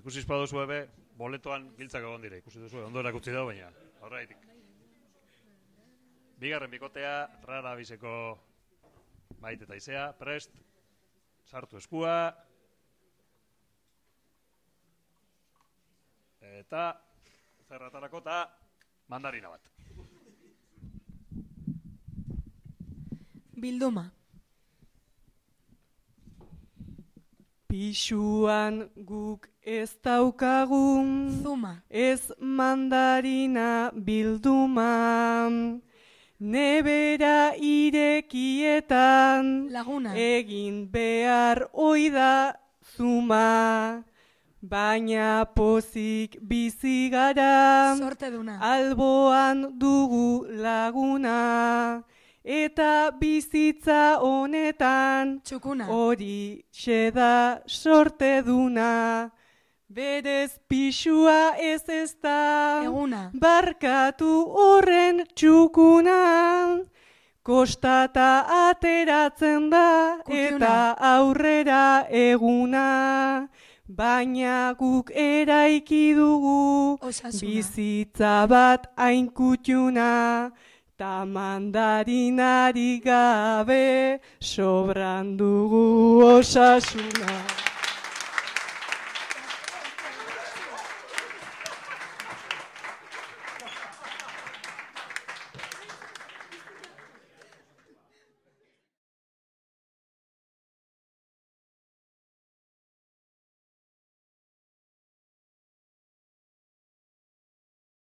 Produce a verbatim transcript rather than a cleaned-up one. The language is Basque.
Ikusi espaduzu ebe, boletoan giltzak egon dire, ikusi duzu, ondo erakutsi dago, baina, horreitik. Bigarren bikotea, rara bizeko Maite eta Izea, prest, sartu eskua, eta zerratarako eta mandarina bat. Bilduma. Pisuan guk ez daukagun, Zuma. ez mandarina bilduma, nebera irekietan, Laguna. egin behar oida zuma, baina pozik bizi gara, Sorte duna. alboan dugu laguna, eta bizitza honetan, Txukuna. hori xeda sorte duna, berez pixua ez ez da, Eguna. barkatu horren txukuna, kostata ateratzen da, Kutiuna. eta aurrera eguna, baina guk eraiki dugu, Osasuna. bizitza bat hain kutiuna, ta mandarinari gabe sobran dugu osasuna.